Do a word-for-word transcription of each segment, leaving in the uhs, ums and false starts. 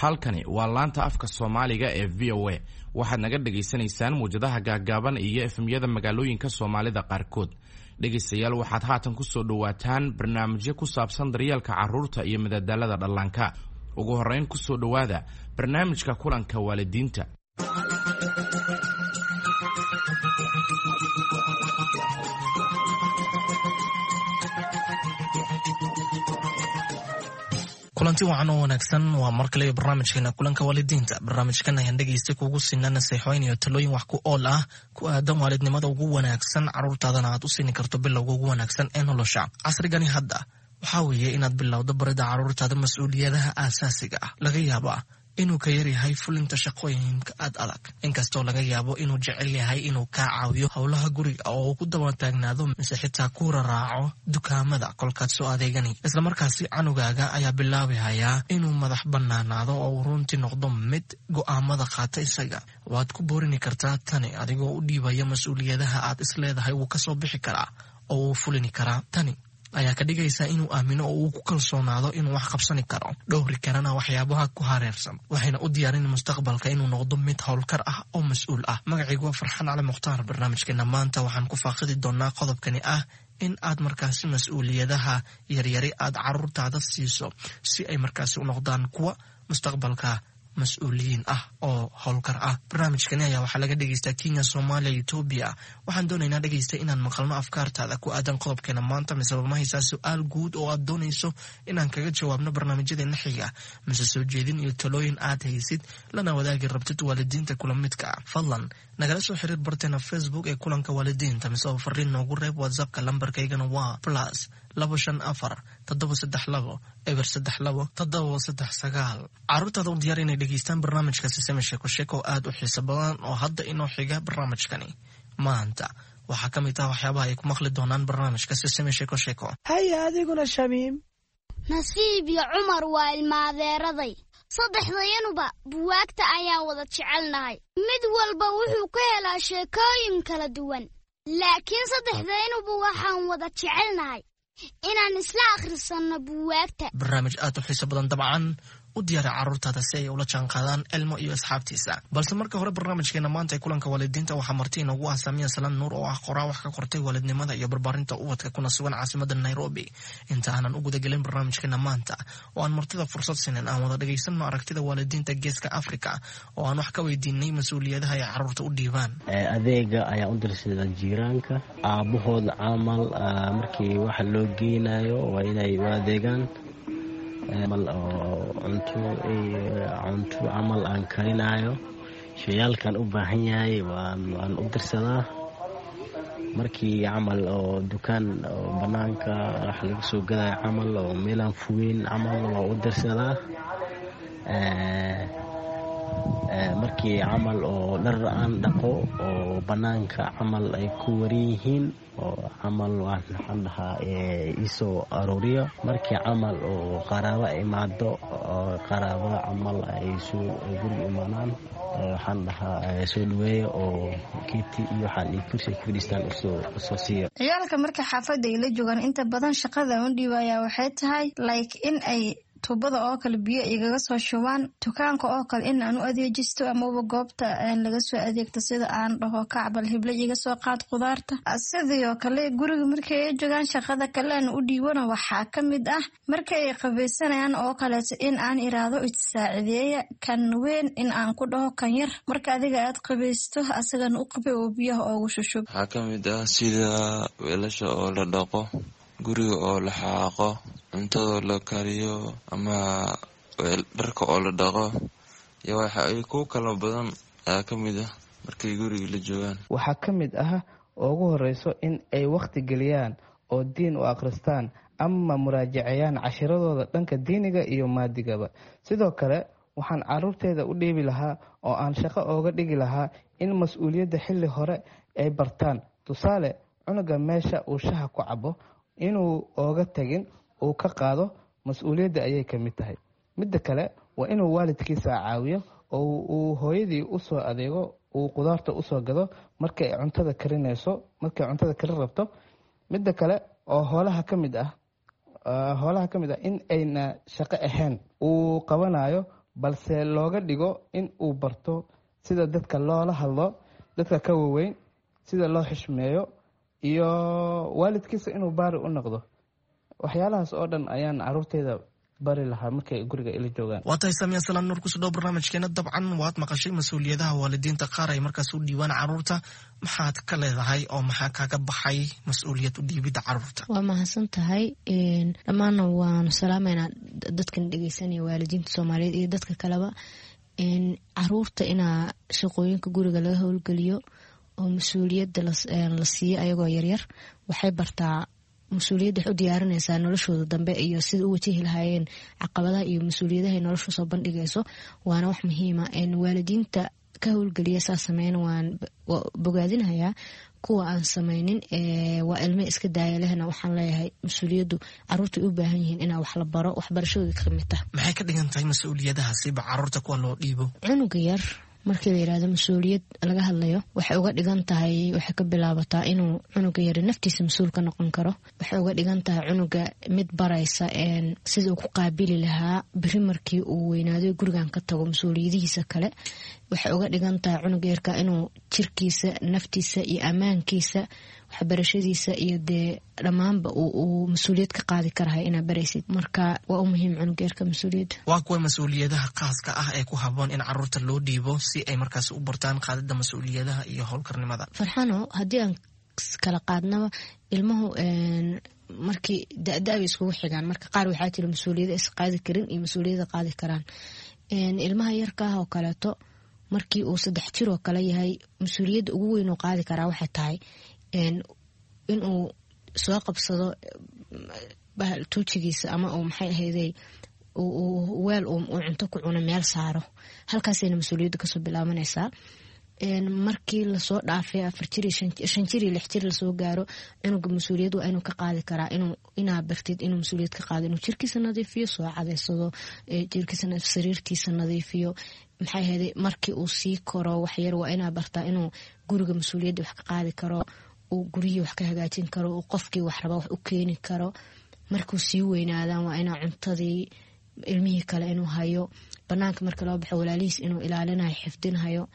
Halkani waa laanta afka Soomaaliga ee V O A. Waxaad naga dhagaysanaysaan muwjadaha gaaggaaban iyo F M-yada magaalooyinka Soomaalida qaarkood. Dhegaystayaal, waxaad haatan kusoo dhowaataan barnaamijyo ku saabsan daryeelka carruurta iyo madadaalada dhallaanka. Ugu horrayn, kusoo dhowaada barnaamijka kulanka waalidiinta. Kulanti wacan oo wanaagsan. Waa mar kale barnaamijkeena kulanka waalidiinta. Barnaamijkan ayaan dhegeysta kuugu siina naseexooyin iyo talooyin wax ku ool ah ku aadan waalidnimada ugu wanaagsan, caruurtaadana aad u siini karto bilowga ugu wanaagsan ee nolosha. Casrigani hadda waxaa weeye inaad bilowdo barida caruurtaada mas-uuliyadaha aasaasiga ah. Laga yaabaa inuu ka yaryahay fulinta shaqooyinka aad adag, inkastoo laga yaabo inuu jecel yahay inuu kaa caawiyo howlaha guriga oo uu ku daba taagnaado, mise xitaa ku raraaco dukaamada kolkaad soo adeegani. Islamarkaasi canugaaga ayaa bilaabihayaa inuu madax banaanaado oo uu runtii noqdo mid go'aamada qaata isaga. Waad ku boorini kartaa tani adigoo u dhiibaya mas-uuliyadaha aad isleedahay wuu kasoo bixi karaa oo wuu fulini karaa. Tani ayaa ka dhigaysa inuu aamino oo uu ku kalsoonaado inuu wax qabsani karo, dhowri karana waxyaabaha ku hareersan, waxayna u diyaarin mustaqbalka inuu noqdo mid howlkar ah oo mas-uul ah. Magacaygu waa Farxaan Cali Mukhtaar. Barnaamijkeena maanta waxaan ku faaqidi doonaa qodobkani ah in aad markaasi mas-uuliyadaha yaryari aad caruurtaada siiso si ay markaasi u noqdaan kuwa mustaqbalka mas-uuliyiin ah oo howlkar ah. Barnaamijkani ayaa waxaa laga dhegeystaa Kenya, Soomaaliya, Etoobiya. Waxaan doonaynaa, dhegeysta, inaan maqalno afkaartaada ku aadan qodobkeena maanta. Mise ma haysaa su-aal guud oo aad doonayso inaan kaga jawaabno barnaamijyadeena xiga, mise soo jeedin iyo talooyin aad haysid lana wadaagi rabtid waalidiinta kula midka ah? Fadlan nagala soo xiriir barteena Facebook ee kulanka waalidiinta, mise oo fariin noogu reeb WhatsAppka. Lambarkaygana waa plus labo shan afar toddoba saddex labo eber saddex labo toddoba saddex sagaal. Caruurtaada u diyaar inay dhegeystaan barnaamijka Siseme Sheeko Sheeko oo aada u xiiso badan oo hadda inoo xiga. Barnaamijkani maanta waxaa ka mid ah waxyaabaha ay ku maqli doonaan barnaamijka Siseme Sheeko Sheeko. Haya, adiguna, Shamiim. Nasiib iyo Cumar waa ilmaadeeraday. Saddexdayanuba buwaagta ayaan wada jecelnahay. Mid walba wuxuu ka helaa sheekooyin kala duwan, laakiin saddexdayanuba waxaan wada jecelnahay inaan isla akhrisanno buwaagta. Barnaamij aad u xiiso badan dabcan. U diyaara carruurtaada si ay ula jaanqaadaan Elmo iyo asxaabtiisa. Balse marka hore, barnaamijkeena maanta ee kulanka waalidiinta waxaa marti inoogu ah Saamiya Salaan Nuur oo ah qoraa wax ka qortay waalidnimada iyo barbaarinta ubadka, kuna sugan caasimada Nairobi. Inta aanan u gudagelin barnaamijkeena maanta oo aan martida fursad siinin, aan wada dhegaysanno aragtida waalidiinta Geeska Africa oo aan wax ka weydiinay mas-uuliyadaha ay carruurta u dhiibaan. Adeega ayaa u dirsada jiiraanka, aabbahooda camal. Markii waxa loo geynayo waa inay u adeegaan oo cunto cunto camal aan karinayo, shayaalkan u baahan yahay waan u dirsadaa. Markii camal oo dukaan oo banaanka wax laga soo gadayo camal oo meelaan fogeyn camal, waa u dirsadaa. Markii camal oo dhar aan dhaqo oo banaanka camal ay ku waran yihiin oo camal, waxaan dhahaa iisoo aruuriyo. Markii camal oo qaraabo imaado oo qaraabo camal ay soo guriga imaanaan, waxaan dhahaa soo dhaweeya oo kiti iyo waxaan iyo kursi ku fadhiistaan usoo siiya. Ciyaalka marka xaafadda ay la joogaan, inta badan shaqada u dhiibayaa waxay tahay like in ay tuubada oo kale biyo igaga soo shubaan, dukaanka oo kale in aan u adeejisto amaba goobta laga soo adeegto, sida aan dhaho kacbal hible iga soo qaad qudaarta. Sidoo kale guriga markay ay joogaan, shaqada kale aan u dhiibana waxaa ka mid ah marka ay qabaysanayaan oo kaleeto in aan iraahdo issaacideeya, kan weyn in aan ku dhaho kan yar marka adiga aad qabaysto asagana u qabay oo biyaha oogu shushub. Waxaa ka mid ah sida weelasha oo la dhaqo, guriga oo la xaaqo, cuntadoo la kariyo ama dharka oo la dhaqo iyo waxa ay kuwo kala badan ayaa ka mid ah markay guriga la joogaan. Waxaa ka mid ah oo ugu horeyso in ay wakhti geliyaan oo diin u akhristaan ama muraajaceyaan cashiradooda dhanka diiniga iyo maadigaba. Sidoo kale waxaan caruurteeda u dhiibi lahaa oo aan shaqo ooga dhigi lahaa in mas-uuliyadda xilli hore ay bartaan. Tusaale, cunuga meesha uu shaha ku cabo inuu ooga tagin, uu ka qaado, mas-uuliyadda ayay ka mid tahay. Midda kale waa inuu waalidkiisa caawiyo oo uu hooyadii usoo adeego, uu qudaarta usoo gado markay cuntada karinayso, markay cuntada karin rabto. Midda kale oo hoolaha ka mid ah hoolaha ka mid ah in ayna shaqo ahayn uu qabanayo, balse looga dhigo in uu barto sida dadka loola hadlo, dadka ka waweyn sida loo xishmeeyo, iyo waalidkiisa inuu baari u noqdo. Waxyaalahaas oo dhan ayaan caruurteyda bari lahaa markay guriga ila joogaan. Waa tahay Saamiya Salaam Nuur, kusoo dhow barnaamijkeena. Dabcan waad maqashay mas-uuliyadaha waalidiinta qaar ay markaas u dhiibaan caruurta. Maxaad ka leedahay oo maxaa kaaga baxay mas-uuliyad u dhiibidda caruurta? Waa mahadsan tahay. Dhammaanna waanu salaameynaa dadkan dhegeysanaya, waalidiinta Soomaaliyeed iyo dadka kaleba. Caruurta inaa shaqooyinka guriga laga howlgeliyo oo mas-uuliyadda la siiyo ayagoo yaryar waxay bartaa mas-uuliyadda, waxay u diyaarinaysaa noloshooda dambe iyo sida u wajahi lahaayeen caqabadaha iyo mas-uuliyadaha noloshu soo bandhigayso. Waana wax muhiima. Waalidiinta ka howlgeliya saa sameyn waan bogaadinhayaa. Kuwa aan sameynin, waa ilme iska daaya lehna, waxaan leeyahay mas-uuliyaddu caruurta u baahan yihiin inaa wax la baro, waxbarashadooda ka mid tah. Maxay ka dhigan tahay mas-uuliyadahaasiba caruurta kuwa loo dhiibo? Cunuga yar markii la yirahdo mas-uuliyad laga hadlayo, waxay uga dhigan tahay, waxay ka bilaabataa inuu cunuga yari naftiisa mas-uul ka noqon karo. Waxay uga dhigan tahay cunuga mid baraysa sida uu ku qaabili lahaa beri markii uu weynaado gurigan ka tago mas-uuliyadihiisa kale. Waxay uga dhigan tahay cunuga yarka inuu jirkiisa, naftiisa iyo ammaankiisa, waxbarashadiisa iyo dee dhammaanba uu mas-uuliyad ka qaadi karahay inaa baraysid. Marka waa u muhiim cunuga yarka mas-uuliyadda. Waa kuwa mas-uuliyadaha khaaska ah ee ku haboon in caruurta loo dhiibo si ay markaas u bartaan qaadida mas-uuliyadaha iyo howlkarnimada? Farxano, haddii aan kala qaadnaba, ilmuhu markii da-da bay iskugu xigaan. Marka qaar waxaa jira mas-uuliyada is qaadi karin iyo mas-uuliyada qaadi karaan. Ilmaha yarka ah oo kaleeto, markii uu saddex jir oo kale yahay, mas-uuliyadda ugu weyn uu qaadi karaa waxay tahay inuu soo qabsado tuujigiisa ama uu maxay ahayday weel uu cunto ku cuno meel saaro. Halkaasayna mas-uuliyadda kasoo bilaabanaysaa. Markii lasoo dhaafay afar jir, shan jir iyo lix jir lasoo gaaro, cunuga mas-uuliyad waa inuu ka qaadi karaa, inaa bartid inuu mas-uuliyad ka qaado inuu jirkiisa nadiifiyo, soo cadeysado jirkiisa, sariirtiisa nadiifiyo, maxay ahayday. Markii uu sii koro waxyar, waa inaa bartaa inuu guriga mas-uuliyadda wax ka qaadi karo, uu guryihii wax ka hagaajin karo, uu qofkii wax raba wax u keeni karo. Markuu sii weynaadaan, waa inaa cuntadii ilmihii kale inuu hayo, banaanka marka loo baxo walaalihiis inuu ilaalinayo, xifdinhayo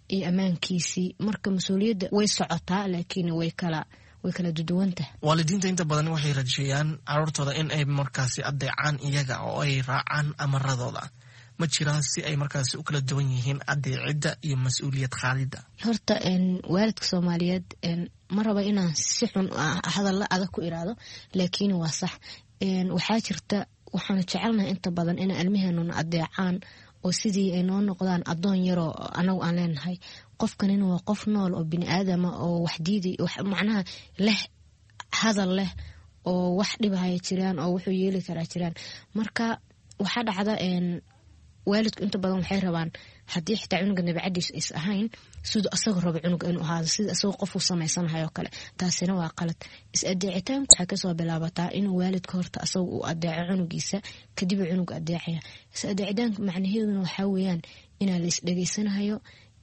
iyo ammaankiisii. Marka mas-uuliyadda way socotaa, laakiin way kala way kala duduwantahay. Waalidiinta inta badan waxay rajeeyaan caruurtooda in ay markaasi adeecaan iyaga oo ay raacaan amaradooda. Ma jiraan si ay markaasi u kala duwan yihiin adeecidda iyo mas-uuliyad qaadidda? Horta waalidka Soomaaliyeed ma raba inaan si xun hadalla adag ku iraado, laakiin waa sax. Waxaa jirta, waxaanu jecelnahay inta badan inay ilmaheenuna adeecaan oo sidii ay noo noqdaan adoon yaroo anagu aan leenahay. Qofkanina waa qof nool oo bini aadama oo wax diiday, macnaha leh hadal leh oo wax dhibahaya jiraan oo wuxuu yeeli karaa jiraan. Marka waxaa dhacda, waalidku inta badan waxay rabaan, haddii xitaa cunuga nabicadiisu is ahayn, siduu asaga rabo cunuga inuu ahaado, sida asagoo qofuu samaysanahay oo kale. Taasina waa qalad. Is adeecitaanku waxay kasoo bilaabataa inuu waalidka horta asaga uu adeeco cunugiisa, kadib uu cunuga adeecaya. Is adeecitaanka macnaheeduna waxaa weeyaan inaa la isdhegeysanahayo,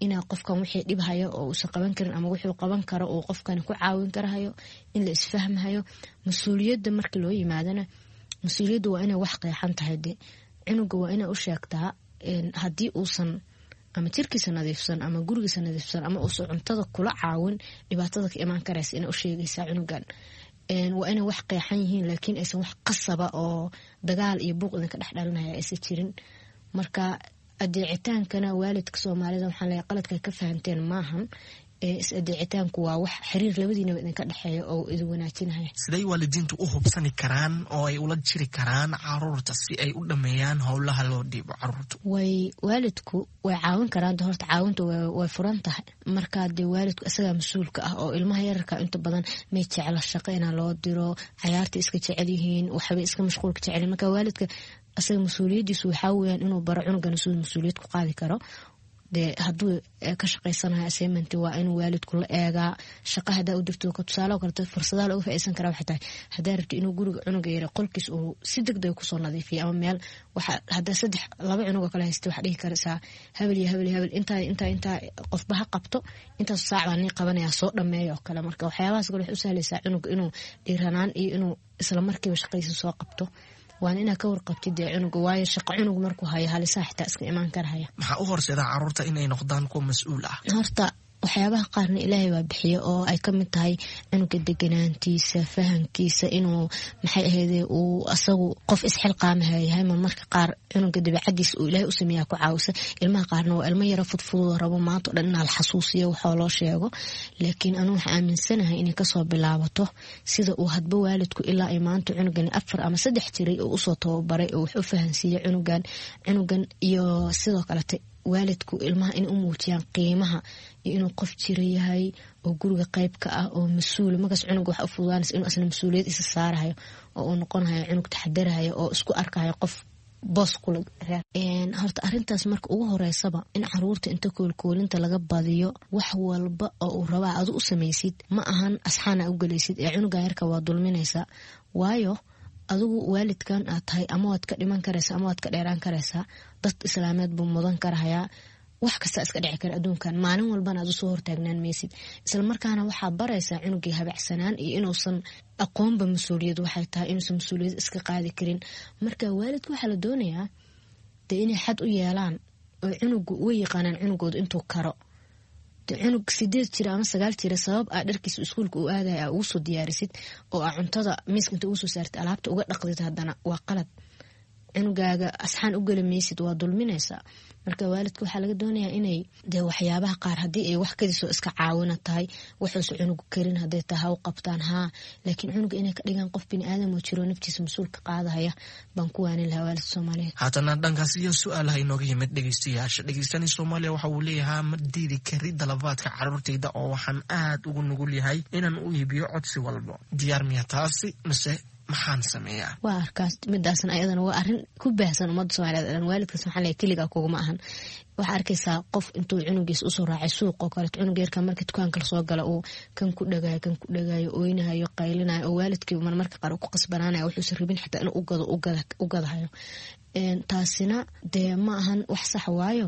inaa qofkan wixii dhibhayo oo uusan qaban karin ama wuxuu qaban karo uu qofkan ku caawin karahayo, in la isfahmahayo. Mas-uuliyadda marka loo yimaadana, mas-uuliyadda waa inay wax qeexan tahay. De cunuga waa inay u sheegtaa haddii uusan ama jirkiisa nadiifsan ama gurigiisa nadiifsan ama uusan cuntada kula caawin, dhibaatada ka imaan karaysa inay u sheegaysaa cunugan. Waa inay wax qeexan yihiin, laakiin aysan wax qasaba oo dagaal iyo buuq idinka dhex dhalinaya aysan jirin. Marka adeecitaankana waalidka Soomaalida waxaan leeyahay, qaladka ka fahanteen maahan. Is adeecitaanku waa wax xiriir labadiinaba idinka dhexeeya oo idin wanaajinaya. Siday waalidiintu u hubsani karaan oo ay ula jiri karaan caruurta si ay u dhameeyaan howlaha loo dhiibo caruurtu? Way waalidku way caawin karaan. Horta caawinta way furan tahay. Marka dee waalidku isagaa mas-uulka ah oo ilmaha yararka inta badan may jecla shaqo inaa loo diro, cayaarta iska jecel yihiin, waxbay iska mashquulka jecel. Marka waalidka isaga mas-uuliyadiisu waxaa weyaan inuu baro cunugan siduu mas-uuliyad ku qaadi karo. Dee hadduu ka shaqaysanayo assignment, waa inuu waalidku la eegaa. Shaqa hadaa u dirto, tusaale kaleto, fursadaha looga faa'iideysan karaa waxay tahay, haddaa rabti inuu guriga cunuga yara qolkiis uu si degdeg kusoo nadiifiyo ama meel waxa, haddaa saddex laba cunug oo kale haysta, waxaa dhihi karaysaa hebel iyo hebel iyo hebel, intaa intaa intaa qofba ha qabto, intaas saac baa nii qabanaya, soo dhameeya oo kale. Marka waxyaabahaas kale waxay u sahlaysaa cunuga inuu dhiiranaan iyo inuu isla markiiba shaqadiisa soo qabto. Waana inaad ka warqabtid dee cunuga, waayo shaqo cunug markuu hayo halisaa xitaa iska imaan karahaya. Maxaa u horseeda caruurta inay noqdaan kuwa mas-uul ah? Horta waxyaabaha qaarna ilaahay baa bixiya, oo ay kamid tahay cunuga deganaantiisa, fahamkiisa, inuu maxay ahayde uu asagu qof isxilqaamaha yahay. Marmarka qaar cunuga dabeecadiisa uu ilaahay u sameeyaa ku caawisa. Ilmaha qaarna waa ilmo yaro fudfudoo rabo maanta o dhan inaa la xasuusiyo waxoo loo sheego. Laakiin anu waxaa aaminsanahay inay kasoo bilaabato sida uu hadba waalidku ilaa ay maanta cunugani afar ama saddex jiray oo usoo tababaray oo wax u fahansiiya cunugan cunugan iyo sidoo kalete waalidku ilmaha inay u muujiyaan qiimaha iyo inuu qof jira yahay oo guriga qayb ka ah oo mas-uula. Markaas cunuga waxa u fududaanaysa inuu asna mas-uuliyad isa saarahayo oo uu noqonayo cunug taxadarahayo oo isku arkahayo qof boos kula reer. Horta arrintaas marka ugu horeysaba in caruurta inta koolkoolinta laga badiyo, wax walba oo uu rabaa adu u samaysid, ma ahan asxaana u gelaysid ee cunuga yarka waa dulminaysaa. Waayo adigu waalidkan aad tahay ama waad ka dhiman karaysaa ama waad ka dheeraan karaysaa, dad islaameed buu mudan karahayaa, wax kasta iska dhici kara adduunkan, maalin walbana aad usoo hortaagnaan maysid. Isla markaana waxaa baraysaa cunugii habacsanaan iyo inuusan aqoonba mas-uuliyad waxay tahay, inuusan mas-uuliyad iska qaadi karin. Marka waalidka waxaa la doonayaa dee inay xad u yeelaan oo cunugu uga yaqaanaan cunugooda intuu karo. Cunug sideed jira ama sagaal jira sabab aa dharkiisa iskuulka u aadaya aa ugu soo diyaarisid oo aa cuntada miiska inta ugu soo saartid alaabta uga dhaqdid, haddana waa qalad. Cunugaaga asxaan u geli maysid, waa dulminaysaa. Marka waalidka waxaa laga doonayaa inay dee waxyaabaha qaar haddii ay wax kadisoo iska caawina tahay, waxuusa cunugu karin hadday tahay ha u qabtaan haa, laakiin cunuga inay ka dhigaan qof bini aadam oo jiro naftiisa mas-uulka qaadahaya baan ku waanin lahaa waalidka Soomaaliyeed. Haatana dhankaas iyo su-aalaha inooga yimid dhegeystayaasha. Dhegeystani Soomaaliya waxa uu leeyahaa, ma diidi kari dalabaadka caruurtayda oo waxaan aad ugu nugul yahay inaan u iibiyo codsi walbo. Diyaar miya taasi mise maxaan sameeyaa? Waa arkaas midaasna ayadana waa arrin ku baahsan ummadda Soomaaliyeed dhan. Waalidkaas waxaan leeyahay keligaa kuguma ahan. Waxaa arkaysaa qof intuu cunugiisa usoo raacay suuq oo kaleeto, cunug yarka marka dukaanka lasoo gala uu kan ku dhagayo kan ku dhagayo, oynahayo, qaylinayo, oo waalidkii marmarka qaar ku qasbanaanayo wuxuusan rabin xitaa inuu ugado u gadahayo. Taasina dee ma ahan wax sax, waayo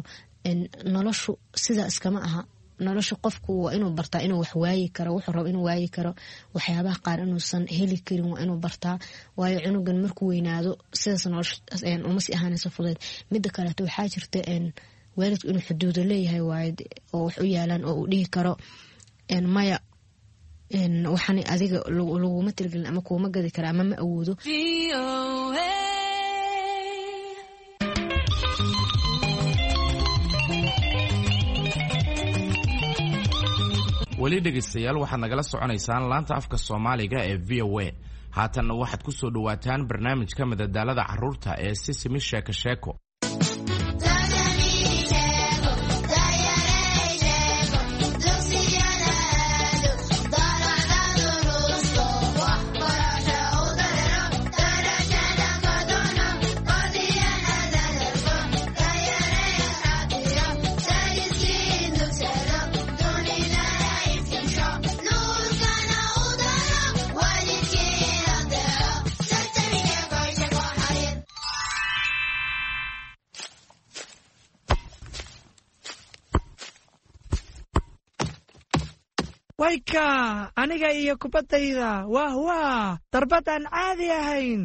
noloshu sidaa iskama aha. Nolosha qofku waa inuu bartaa inuu wax waayi karo, wuxuu rabo inuu waayi karo, waxyaabaha qaar inuusan heli karin waa inuu bartaa. Waayo cunugan markuu weynaado sidaas nolosha uma sii ahaanayso fudeed. Mida kaleeto waxaa jirta waalidku inuu xuduudo leeyahay waayo oo wax u yaalaan oo uu dhihi karo maya, waxaan adiga laguma tirigelin ama kuuma gadi kara ama ma awoodo. Weli dhegaystayaal waxaad nagala soconaysaan laanta afka Soomaaliga ee V O A. Haatanna waxaad ku soo dhowaataan barnaamijka madadaalada carruurta ee Sisimi Sheeko Sheeko. Wayka aniga iyo kubaddayda, wah wah, darbad aan caadi ahayn.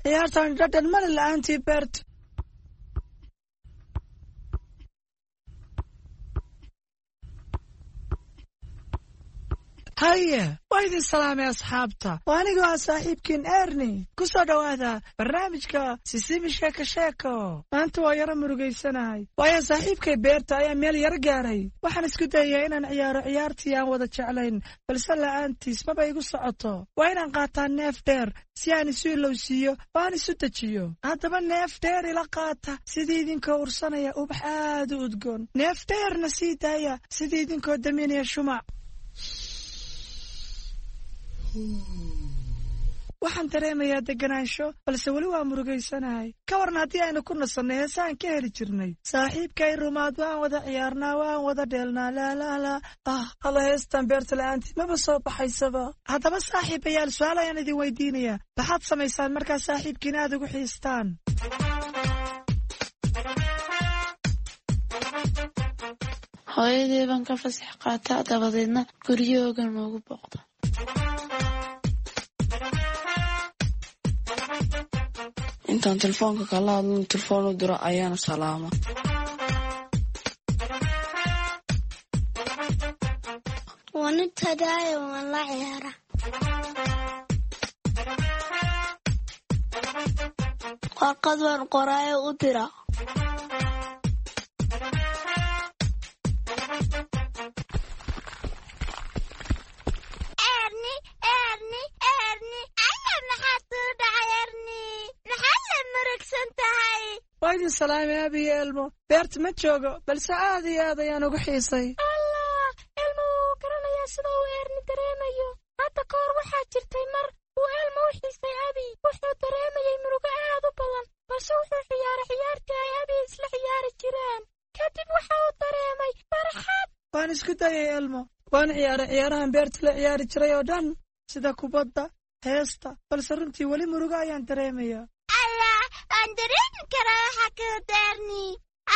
Ciyaartan dhadhan male la'aantii Bert. Haye, waa idin salaamay asxaabta. Waa anigoo ah saaxiibkiin Erni. Ku soo dhowaada barnaamijka Sisimi Sheeko Sheeko. Maanta waa yaro murugaysanahay, waayo saaxiibkay Beerta ayaa meel yaro gaaray. Waxaan isku dayayaa inaan ciyaaro ciyaartii aan wada jeclayn, balse la'aantiis maba igu socoto. Waa inaan qaataa neef dheer si aan isu ilowsiiyo oo aan isu dejiyo. Haddaba neef dheer ila qaata sidii idinkoo ursanaya ubax aad u udgoon. Neef dheerna sii daaya sidii idinkoo daminaya shumac. Waxaan dareemayaa deganaansho, balse weli waa murugaysanahay. Ka waran haddii aynu ku nasannay heesaan ka heli jirnay? Saaxiibkay rumaad waan wada ciyaarnaa, waan wada dheelnaa, laalaalaa. Ah, alla, heestan Beerta la'aantii maba soo baxaysaba. Haddaba saaxiibayaal, su-aal ayaan idin weydiinayaa. Maxaad samaysaan markaa saaxiibkiina aad ugu xiistaan? Hooyadii baan ka fasax qaataa, dabadeedna guryahooga noogu booqda. Intaan telefoonka kala hadlan telefoon u diro ayaana salaama. Waan u tagaayo, waan la ciyaaraa. Warqad waan qoraayo u dira. Erni, Erni, Erni, alla maxaa tuu dhacay Erni? Maxaa la murugsan tahay? Waa idin salaamay Abi iyo Elmo. Beerta ma joogo, balse aad iyo aad ayaan ugu xiisay. Allah, Elmo wuu garanayaa sida uu Erni dareemayo. Hadda ka hor waxaa jirtay mar uu Elmo u xiisay Abi. Wuxuu dareemayay murugo aad u badan, balse wuxuu ciyaaray ciyaartii ay Abi isla ciyaari jireen. Kadib waxa uu dareemay farxad. Waan isku dayay Elmo. Waan ciyaaray ciyaarahan beerta la ciyaari jiray oo dhan, sida kubadda, heesta, balse runtii weli murugo ayaan dareemayaa. Allah, waan dareemi karaa waxa kuu Erni.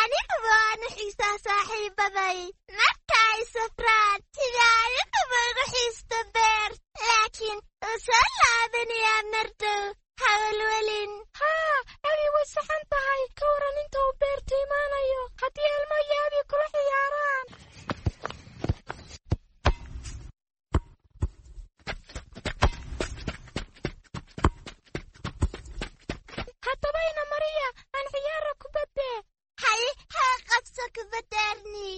Aniguba waan u xiisaa saaxiibaday. Marka ay safraan, sida aniguba ugu xiisto beer. Laakiin wuu soo laabanayaa mar dhow. Hawalwelin. Haa, Abi way saxan tahay. Ka waran inta uu beerta imaanayo haddii Elmo iyo Abi kula ciyaaraan. Haddaba ina Mariya, aan ciyaara kubadde. Haye, haa qabso kubadda Erni.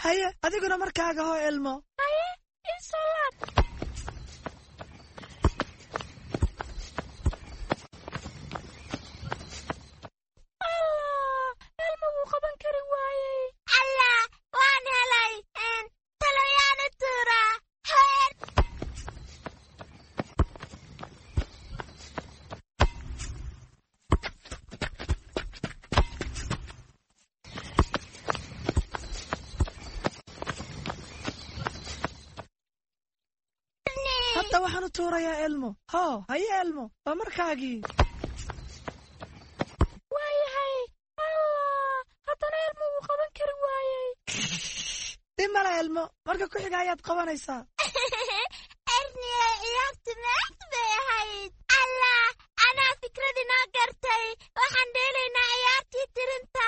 Haye, adiguna markaaga hoo Elmo. Haye, ii soo laab. Allah, Elmo wuu qaban kari waayey. Allah, waan helay. Een, taloyaan u tuuraa. Hoo Hadda waxaan u tuurayaa Elmo. Hoo, haye Elmo, waa markaagii. Waayahay. Allah, haddana Elmo wuu qaban kari waayey. Dhib male Elmo, marka ku xiga ayaad qabanaysaa. Erni, ciyaartu maad bay ahayd. Allah, anaa fikrad inoo gartay. Waxaan dheelaynaa ciyaartii tirinta.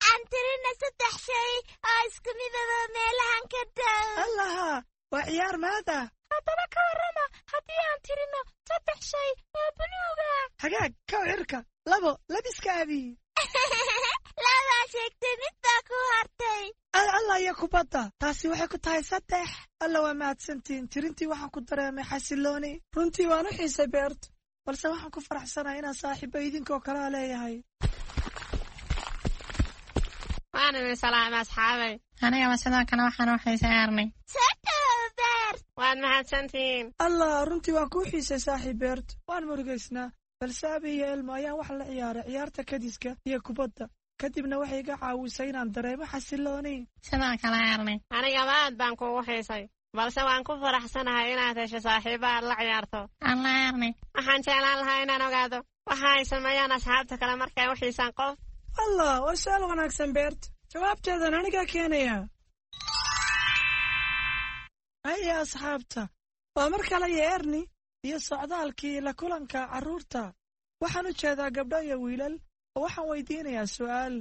Aan tirina saddex shay oo isku midaba meelahan ka dhow. Allaha, waa ciyaar maad ah. Haddaba ka warrama haddii aan tirino saddex shay oo buluug ah. Hagaag, kow cirka, labo, labiska Abi. Labaa sheegtay, mid baa ku hartay. Al alla iyo kubadda, taasi waxay ku tahay saddex. Alla waa mahadsantihiin. Tirintii waxaan ku dareemay xasilooni. Runtii waan u xiisay beerta, balse waxaan ku faraxsanahay inaan saaxiibo idinkoo kalea leeyahay. Waan idin salaamay asxaabay. Anigaba sidoo kale waxaan u xiisay Erni. Soo dhawow Beert. Waad mahadsantihiin. Allah, runtii waan kuu xiisay saaxiib Beert. Waan murugaysnaa, balse Abi iyo Elmo ayaan wax la ciyaaray ciyaarta kadiska iyo kubadda. Kadibna waxay iga caawisay inaan dareemo xasilooni. Sidoo kale Erni. Anigaba aad baan kuugu xiisay, balse waan ku faraxsanahay inaad hesho saaxiibo aad la ciyaarto. Alla Erni. Waxaan jeclaan lahaa inaan ogaado waxa ay sameeyaan asxaabta kale markay u xiisaan qof. Allah, waa su'aal wanaagsan Beert. Jawaabteedan anigaa keenaya. Haya asxaabta, waa mar kale iyo Erni iyo socdaalkii la kulanka carruurta. Waxaan u jeedaa gabdho iyo wiilal oo waxaan weydiinayaa su'aal.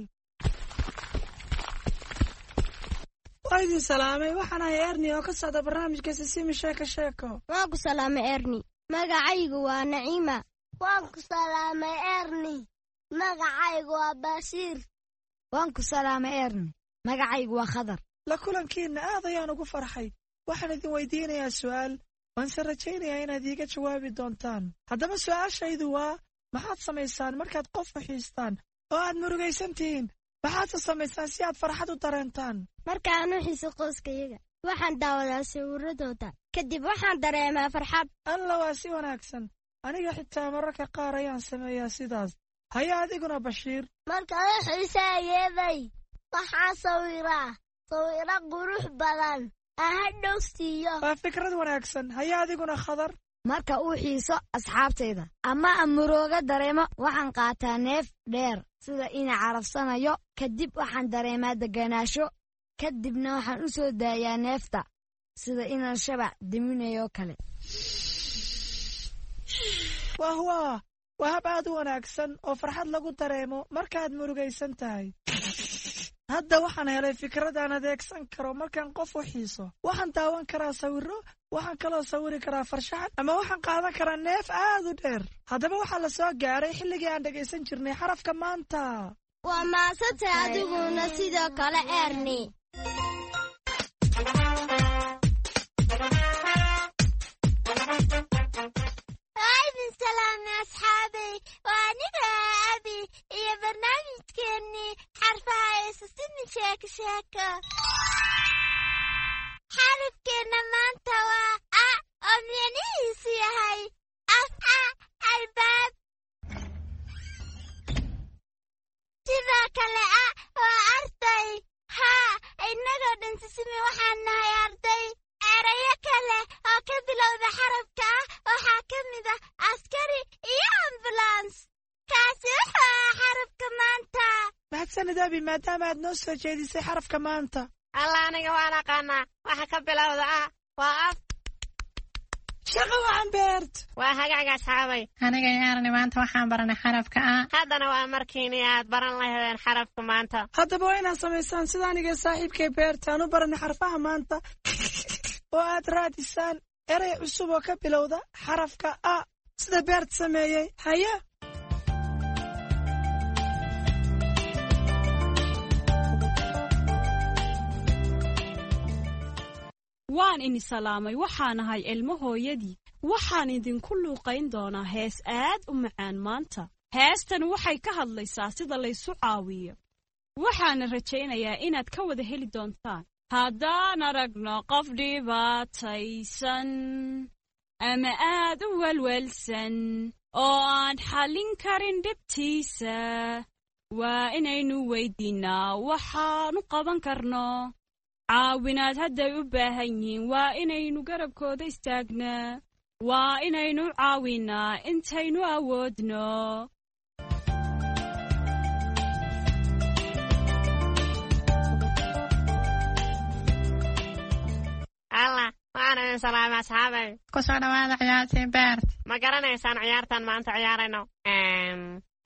Waa idin salaamay, waxaan ahay Erni oo ka socda barnaamijka Sisimi Sheeko Sheeko. Waan ku salaamay Erni. Magacaygu waa Naciima. Waan ku salaamay Erni. Magacaygu waa Bashiir. Waan ku salaamay Erni. Magacaygu waa Khadar. La kulankiinna aad ayaan ugu farxay. Waxaan idin weydiinayaa su'aal, waanse rajaynayaa inaad iiga jawaabi doontaan. Haddaba su'aashaydu waa, maxaad samaysaan markaad qof u xiistaan oo aad murugaysan tihiin? Maxaadse samaysaan si aad farxad u dareentaan? Markaan u xiiso qoyskayaga, waxaan daawadaa sawiradooda. Kadib waxaan dareemaa farxad. Alla, waa si wanaagsan. Aniga xitaa mararka qaar ayaan sameeyaa sidaas. Haya adiguna Bashiir. Markaan u xiisaayeeday, waxaan sawiraa sawiro qurux badan. Aan hadhow siiyo. Waa fikrad wanaagsan. Haya adiguna Khadar. Marka uu xiiso asxaabtayda ama aan murooga dareemo, waxaan qaataa neef dheer sida ina carabsanayo. Kadib waxaan dareemaa degganaasho, kadibna waxaan u soo daayaa neefta sida inaan shabac diminayo kale. Wah wah, waa hab aad u wanaagsan oo farxad lagu dareemo markaad murugaysan tahay. Hadda waxaan helay fikrad aan adeegsan karo markaan qof u xiiso. Waxaan daawan karaa sawirro, waxaan kaloo sawiri karaa farshaxan, ama waxaan qaadan karaa neef aad u dheer. Haddaba waxaa la soo gaaray xilligii aan dhegaysan jirnay xarafka maanta. Waa maasantay adiguna sidoo kale, Erni. Waa idin salaamay asxaabay, waa aniga Abi iyo barnaamijkeennii xarfaha ee Sisimi Sheeko Sheeko. Xarafkeenna maanta waa A, oo micnihiisu yahay af a albaab. Sidoo kale A waa arday. Haa, innagoo dhan Sisimi waxaan nahay arday. Erayo kale oo ka bilowda xarafka ah waxaa ka mid ah askari iyo ambulans. Kaasi wuxuu ahaa xarafka maanta. Mahadsanid Abi, maadaama aad noo soo jeedisay xarafka maanta. Alla, aniga waan aqaanaa waxa ka bilowda ah, waa af. Shaqo wacan, Beert. Waa hagaaga, asxaabay. Aniga iyo Erni maanta waxaan baranay xarafka A. Haddana waa markiini aad baran lahaydeen xarafka maanta. Haddaba waa inaad samaysaan sida aniga saaxiibkay Beert aan u baranay xarfaha maanta, oo aad raadisaan erey cusub oo ka bilowda xarafka A, sida Beert sameeyey. Haya. Waan ini salaamay, waxaan ahay Ilmo hooyadii. Waxaan idinku luuqayn doonaa hees aad u macaan maanta. Heestan waxay ka hadlaysaa sida laysu caawiyo, waxaana rajaynayaa inaad ka wada heli doontaan. Haddaan aragno qof dhibaataysan ama aad u welwelsan oo aan xallin karin dhibtiisa, waa inaynu weydiinnaa waxaanu qaban karno. Caawinaad hadday u baahan yihiin, waa inaynu garabkooda istaagnaa, waa inaynu caawinnaa intaynu awoodno. Alla, waan idin salaamay, asxaabay. Ku soo dhawaada ciyaartii, Beert. Ma garanaysaan ciyaartan maanta ciyaarayno?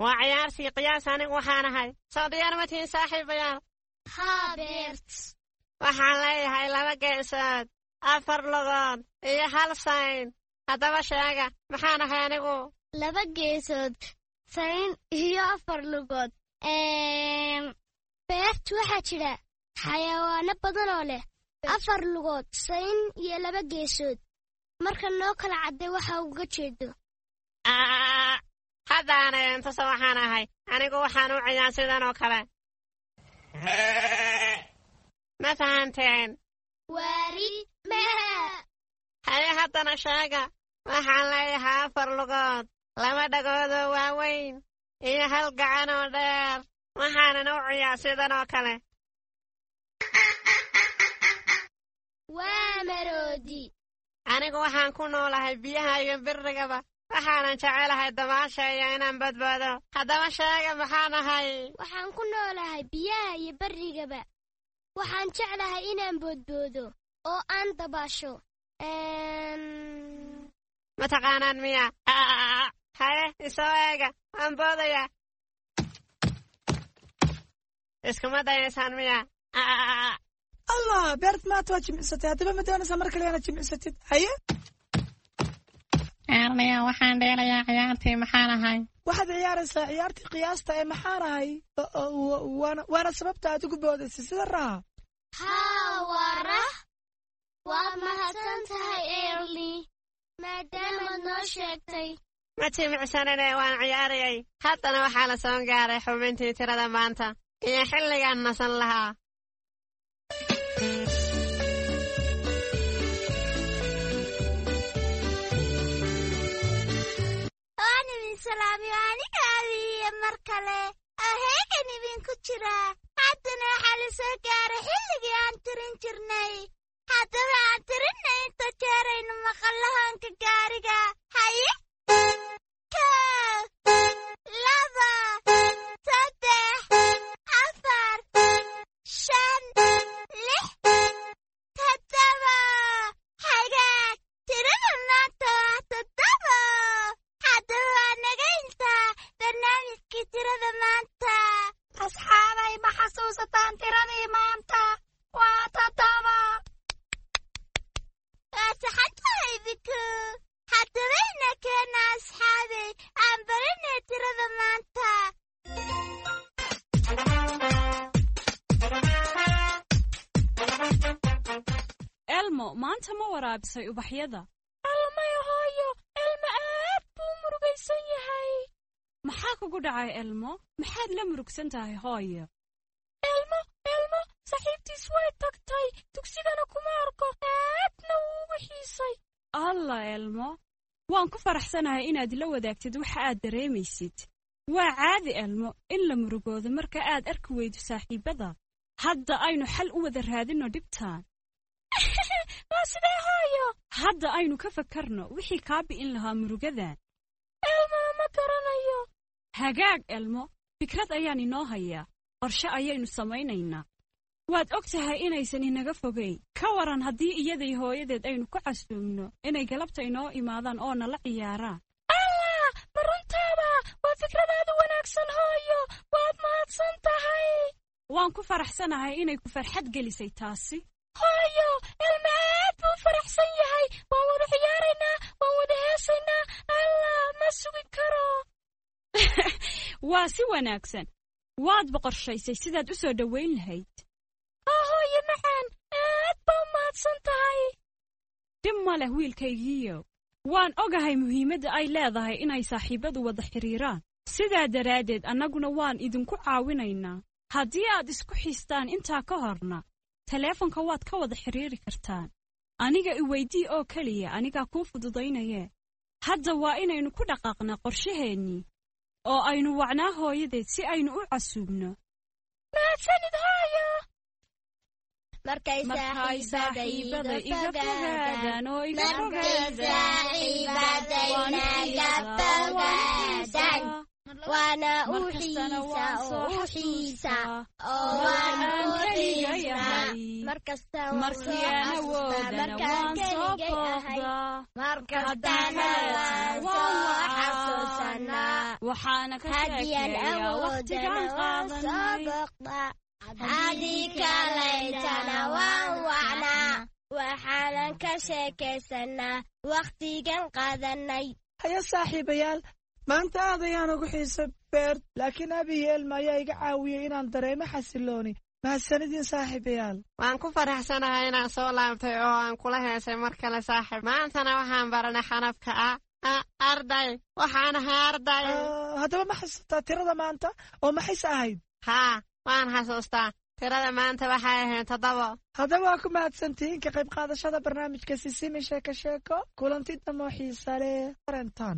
Waa ciyaartii qiyaas anigu waxaan ahay. Soo diyaar ma tihiin, saaxiibayaal? Haa, Beert. Waxaan leeyahay laba geesood, afar lugood iyo hal sayn. Haddaba sheega, maxaan ahay anigu? Laba geesood, sayn iyo afar lugood. Beert, waxaa jira xayawaano badan oo leh afar lugood, sayn iyo laba geesood. Marka noo kala cadday waxa uga jeedo. Haddaana intusa waxaan ahay anigu. Waxaan u ciyaa sidan oo kale. Ma fahanteen? Waari maa. Haye, haddana sheega, waxaan leeyahay afar lugood, laba dhagoodoo waaweyn iyo hal gacan oo dheer, waxaanan u ciyaa sidan oo kale. Waa maroodi. Anigu waxaan ku noolahay biyaha iyo birrigaba, waxaanan jecelahay dabaasha iyo inaan badbaado. Haddaba sheega, maxaan ahay? Waxaan ku noolahay biyaha iyo barrigaba, waxaan jeclahay inaan boodboodo oo aan dabaasho. Ma taqaanaan miya? Haye, isoo eega, waan boodayaa. Iskuma dayaysaan miya? Allah, Beert, maanta waad jimicsatay. Haddaba ma doonaysaa mar kale inaad jimicsatid? Haye. Erniya, waxaan dheelayaa ciyaartii maxaan ahay. Waxaad ciyaaraysaa ciyaartii qiyaasta ee maxaan ahay, waana waana sababta aad ugu boodaysay sida raha. Haa, waa rah. Waad mahadsan tahay, Erni, maadaamaad noo sheegtay. Ma jimicsanine, waan ciyaarayay. Haddana waxaa la soo gaaray xubintii tirada maanta iyo xilligaan nasan lahaa. Waan idin salaamiyo aniga Abiiyo mar kale oo heegan idinku jira. Haddana waxaa la soo gaaray xilligii aan tirin jirnay. Haddaba aan tirina inta jeeraynu maqallo hoonka gaariga. Haye, kow, laba, saddex, afar, shan, lix, toddoba. Hagaag, tirada maanta waa toddoba. Haddaba waa naga intaa barnaamijkii tirada maanta. Asxaabay, ma xasuusataan tiradii maanta? Waa toddoba. Waa saxan tahay, Biku. Haddaba ina keena, asxaabay, aan baranay tirada maanta. Elmo, maanta ma waraabisay ubaxyada? Almay hooyo, Elmo aad buu murugaysan yahay. Maxaa kugu dhacay, Elmo? Maxaad la murugsan tahay, hooyo? Elmo, Elmo saaxiibtiis way tagtay, dugsigana kuma arko, aadna wuu ugu xiisay. Alla Elmo, waan ku faraxsanahay inaad la wadaagtid waxa aad dareemaysid. Waa caadi, Elmo, in la murugoodo marka aad arki weydo saaxiibada. Hadda aynu xal u wada raadinno dhibtaan. Waa sidee, hooyo? Hadda aynu ka fakarno wixii kaa bi'in lahaa murugadan. Elmo ma garanayo. Hagaag, Elmo, fikrad ayaan inoo hayaa. Qorshe ayaynu samaynaynaa. Waad og tahay inaysan inaga fogayn. Ka waran haddii iyaday hooyadeed aynu ku casuumno inay galabta inoo imaadaan oo nala ciyaaraan? Allah, ma runtaaba? Waa fikradaadu wanaagsan, hooyo. Waad mahadsan tahay. Waan ku faraxsanahay inay ku farxad gelisay taasi. Hooyo, Elmo aad buu faraxsan yahay. Waan wada ciyaaraynaa, waan wada heesaynaa. Allah, ma sugi karo. Waa si wanaagsan. Waad boqorshaysay sidaad u soo dhoweyn lahayd. Haa hooyo macaan, aad baa u mahadsan tahay. Dhib ma leh, wiilkaygiiyow. Waan ogahay muhiimadda ay leedahay inay saaxiibbadu wada xidhiiraan. Sidaa daraaddeed annaguna waan idinku caawinaynaa. Haddii aad isku xiistaan intaa ka horna, taleefanka waad ka wada xidhiiri kartaan. Aniga iweydii oo keliya, anigaa kuu fududaynayee. Hadda waa inaynu ku dhaqaaqnaa qorshaheennii oo aynu wacnaa hooyadeed si aynu u casuubno. Mahadsanid, hooyo. Markay Markay saaxiibada saaxiibada iga iga fogaadaan, fogaadaan oo iga markay fogaadaan, waan u saaxiibadaynaga xiisaa oo waan u fogaadaan, xiisaa. Waana u Markastana xiisa waan oo soo u xiisa xasuustaa oo marka waan aan u keliga xiisnaa. yahay. Markasta waan Markii soo aan xasuustaa awoodana markaan waan soo keligay ahay. booqdaa. Haddii Markastana kaleetana waan waan soo wacaa. xasuusanaa. Waxaana ka Haddii aan sheekeeyaa wakhtigaan awoodana waan soo qaadanay. booqdaa. Haddii kalaytana waan wacnaa. Waxaanan ka sheekaysanaa wakhtigan qaadanay. Haya saaxiibayaal, maanta aad ayaan ugu xiisay Beert, laakiin Abi iyo Elmo ayaa iga caawiyey inaan dareemo xasilooni. Mahadsanidin, saaxiibayaal. Waan ku faraxsanahay inaan soo laabtay oo aan kula heesay mar kale, saaxiib. Maantana waxaan baranay xarafka a. A, arday. Waxaan ahay arday. Ah, haddaba ma xasuustaa tirada maanta oo maxayse ahayd? Haa, waan xasuustaa. Tirada maanta waxay ahayd toddobo. Haddaba waa ku mahadsantihiin ka qayb qaadashada barnaamijka Sisimi Sheeko Sheeko. Kulanti damo xiisa leh rentan.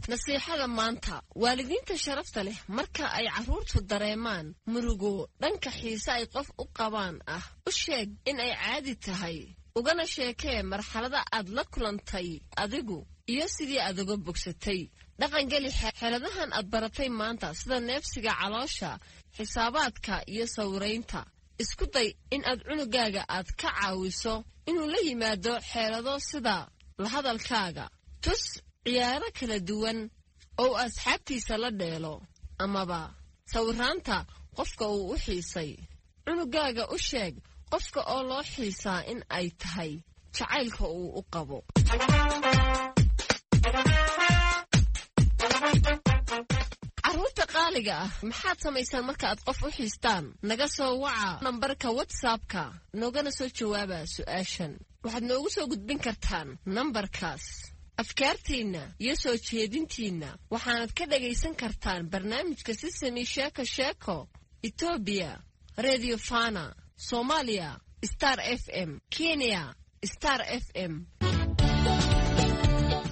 Nasiixada maanta, waalidiinta sharafta leh, marka ay carruurtu dareemaan murugo dhanka xiise ay qof u qabaan ah, u sheeg in ay caadi tahay, ugana sheekee marxalada aad la kulantay adigu iyo sidii aad uga bogsatay. Dhaqangeli xeeladahan aad baratay maanta, sida neefsiga caloosha, xisaabaadka iyo sawiraynta. Isku day in aad cunugaaga aad ka caawiso inuu la yimaado xeelado sida la hadalkaaga. Tus ciyaaro kala duwan oo uu asxaabtiisa la dheelo amaba sawiraanta qofka uu u xiisay. Cunugaaga u sheeg qofka oo loo xiisaa in ay tahay jacaylka uu u qabo. Carruurta qaaliga ah, maxaad samaysaan marka aad qof u xiistaan? Naga soo waca nambarka WhatsAppka, noogana soo jawaaba su'aashan. Waxaad noogu soo gudbin kartaan nambarkaas afkaartiinna iyo soo jeedintiinna. Waxaanad ka dhagaysan kartaan barnaamijka Sisami Sheeko Sheeko Etoobiya Radio Fana, Soomaaliya Star F M, Kenya Star F M.